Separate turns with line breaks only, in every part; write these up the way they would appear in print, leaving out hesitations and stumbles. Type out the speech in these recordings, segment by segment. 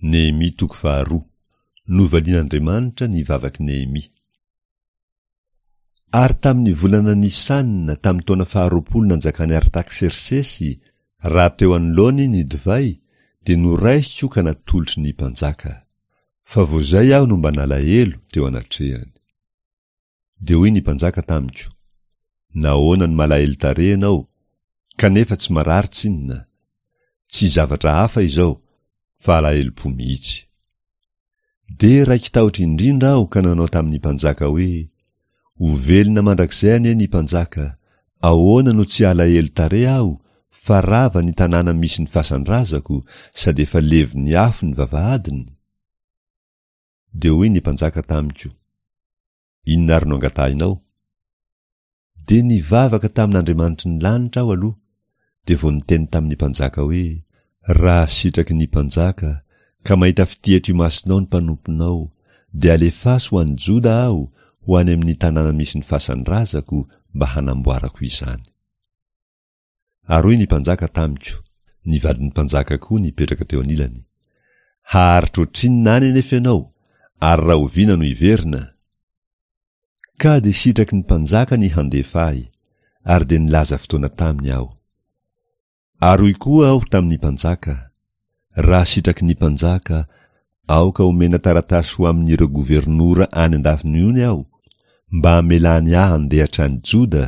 Nehemia toko faharoa. Novalian'Andriamanitra ny vavak'i Nehemia. Ary tamin'ny volana Nisana tamin'ny taona faharoapolo nanjakan'i Artaksersesy, raha teo anoloany ny divay, dia noraisiko ka natolotry ny mpanjaka. Fa vao izay aho no mba nalahelo teo anatrehany. Dia hoy ny mpanjaka tamiko, Nahoana no malahelo tarehy ianao, kanefa tsy marary tsinona? Tsy zavatra hafa izao, fa alahelom-po mihitsy. Dia raiki-tahotra indrindra aho ka nanao tamin'ny mpanjaka hoe, Ho velona mandrakizay anie ny mpanjaka, ahoana no tsy halahelo tarehy aho, fa rava ny tanàna misy ny fasan-drazako, sady efa levon'ny afo ny vavahadiny? Dia hoy ny mpanjaka tamiko, Inona ary no angatahinao? Dia nivavaka tamin'Andriamanitry ny lanitra aho aloha, dia vao niteny tamin'ny mpanjaka hoe, Raha sitraky ny mpanjaka, ka mahita fitia eto imasonao ny mpanomponao, dia alefaso ho any Joda aho, ho any amin'ny tanàna misy ny fasan-drazako, mba hanamboarako izany. Ary hoy ny mpanjaka tamiko, ny vadin'ny mpanjaka koa nipetraka teo anilany, Haharitra ohatrinona any anefa ianao, ary rahoviana no hiverina? Ka dia sitraky ny mpanjaka ny handefa ahy, ary dia nilaza fotoana taminy aho. Ary hoy koa aho tamin'ny mpanjaka, Raha sitraky ny mpanjaka, aoka homena taratasy ho amin'ireo governora any an-dafin'ny ony aho, mba hamelany ahy handeha hatrany Joda,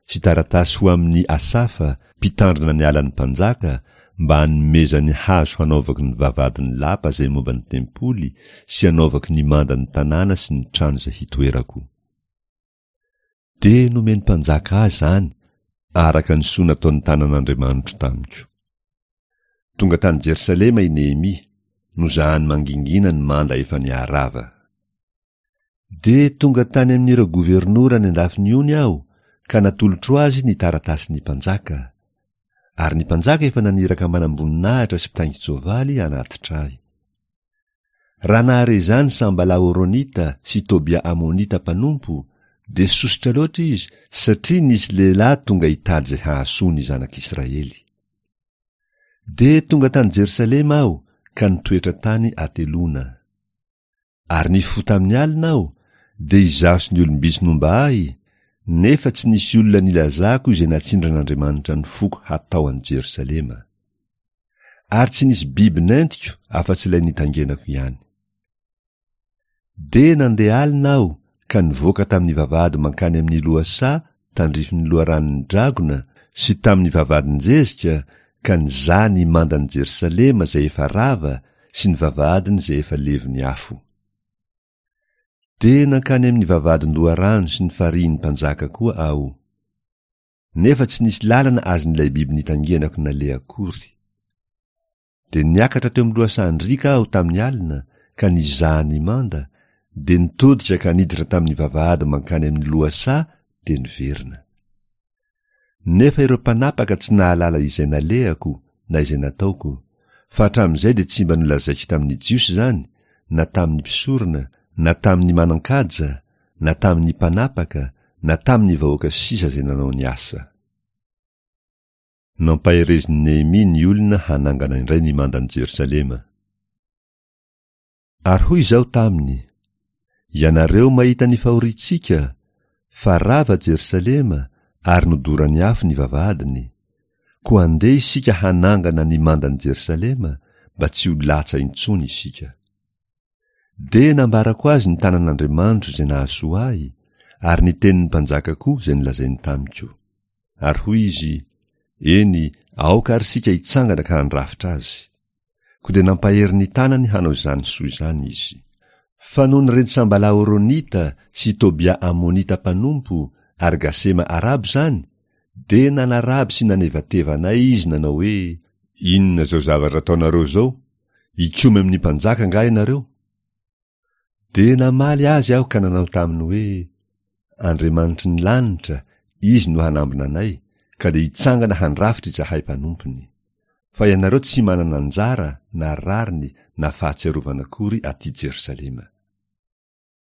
sy taratasy ho amin'i Asafa, mpitandrina ny alan'ny mpanjaka, mba hanomezany hazo hanaovako ny vavahadin'ny lapa izay momba ny tempoly sy hanaovako ny mandan'ny tanàna sy ny trano izay hitoerako. Dia nomen'ny mpanjaka ahy izany araka ny soa nataon'ny tanan'Andriamanitro tamiko. Tonga tany Jerosalema i Nehemia, nozahany mangingina ny manda efa niharava. Dia tonga tany amin'ireo governora any an-dafin'ny ony aho ka natolotro azy ny taratasin'ny mpanjaka. Ary ny mpanjaka efa naniraka manamboninahitra sy mpitaingin-tsoavaly hanatitra ahy. Raha nahare izany Sambala Horonita sy Tobia Amonita mpanompo, dia sosotra loatra izy satria nisy lehilahy tonga hitady izay hahasoa ny zanak'Israely. Dia tonga tany Jerosalema aho ka nitoetra tany hateloana. Ary nifoha tamin'ny alina aho, dia izaho sy ny olom-bitsy nomba ahy, nefa tsy nisy olona nilazako izay natsindran'Andriamanitra ny foko hatao any Jerosalema. Ary tsy nisy biby nentiko afa-tsy ilay nitangenako ihany. Dia nandeha alina aho ka nivoaka tamin'ny vavahady mankany amin'ny lohasaha tandrifin'ny loharanon'ny dragona sy tamin'ny vavahadin-jezika ka nizaha ny mandan'i Jerosalema izay efa rava sy ny vavahadiny izay efa levon'ny afo. Dia nankany amin'ny vavahadin-doharano sy ny farihin'ny mpanjaka koa aho. Nefa tsy nisy lalana azon'ilay biby nitangianako naleha akory. Dia niakatra teo amin'ny lohasahan-driaka aho tamin'ny alina ka nizaha ny manda, dia nitodika ka niditra tamin'ny vavahady mankany amin'ny lohasaha dia niverina. Nefa ireo mpanapaka tsy nahalala izay nalehako na izay nataoko, fa hatramin'izay dia tsy mba nolazaiko tamin'ny Jiosy izany, na tamin'ny mpisorona, na tamin'ny manan-kaja, na tamin'ny mpanapaka, na tamin'ny vahoaka sisa izay nanao ny asa. Nampaherezin'i Nehemia ny olona hanangana indray ny mandan'i Jerosalema. Ary hoy izaho taminy, Ianareo mahita ny fahoriantsika, fa rava Jerosalema ary nodoran'ny afo ny vavahadiny, koa andeha isika hanangana ny mandan'i Jerosalema mba tsy ho latsa intsony isika. Dia nambarako azy ny tanan'Andriamanitro izay nahasoa ahy, ary ny tenin'ny mpanjaka koa izay nolazainy tamiko. Ary hoy izy, Eny, aoka àry isika hitsangana ka handrafitra azy. Koa dia nampahery ny tanany hanao izany soa izany izy. Fa nony ren'i Sambala Horonita sy Tobia Amonita mpanompo ary Gasema Arabo izany, dia nanaraby sy nanevateva anay izy nanao hoe, Inona izao zavatra ataonareo izao? Hikomy amin'ny mpanjaka angaha ianareo? Dia namaly azy aho ka nanao taminy hoe, Andriamanitry ny lanitra, Izy no hanambina anay, ka dia hitsangana handrafitra izahay mpanompony. Fa ianareo tsy manana anjara na rariny na fahatsiarovana akory aty Jerosalema.